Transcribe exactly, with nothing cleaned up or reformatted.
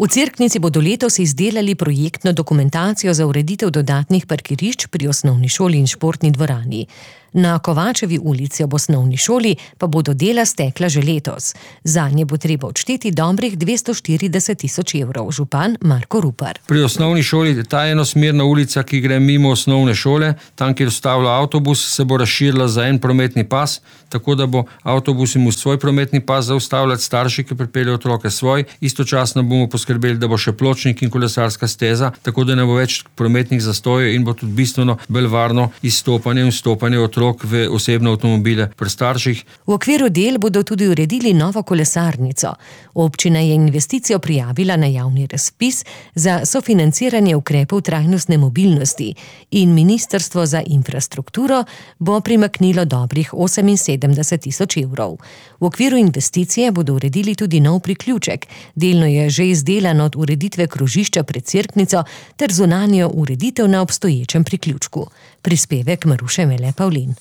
V Cerknici bodo letos izdelali projektno dokumentacijo za ureditev dodatnih parkirišč pri osnovni šoli in športni dvorani. Na Kovačevi ulici ob osnovni šoli pa bodo dela stekla že letos. Zanje bo treba odšteti dobrih dvesto štirideset tisoč evrov, župan Marko Rupar. Pri osnovni šoli ta enosmerna ulica, ki gre mimo osnovne šole, tam, kjer ustavlja avtobus, se bo razširila za en prometni pas, tako da bo avtobus imel svoj prometni pas zaustavljati, starši, ki pripeljejo otroke svoj. Istočasno bomo poskrbeli, da bo še pločnik in kolesarska steza, tako da ne bo več prometnih zastojev in bo tudi bistveno bolj varno izstopanje in vstopanje otrok v osebne avtomobile pri starših. V okviru del bodo tudi uredili novo kolesarnico. Občina je investicijo prijavila na javni razpis za sofinanciranje ukrepov trajnostne mobilnosti in Ministrstvo za infrastrukturo bo primaknilo dobrih oseminsedemdeset tisoč evrov. V okviru investicije bodo uredili tudi nov priključek. Delno je že izdelan od ureditve krožišča pred Cerknico ter zunanjo ureditev na obstoječem priključku. Prispevek Maruše Mele Pavlin.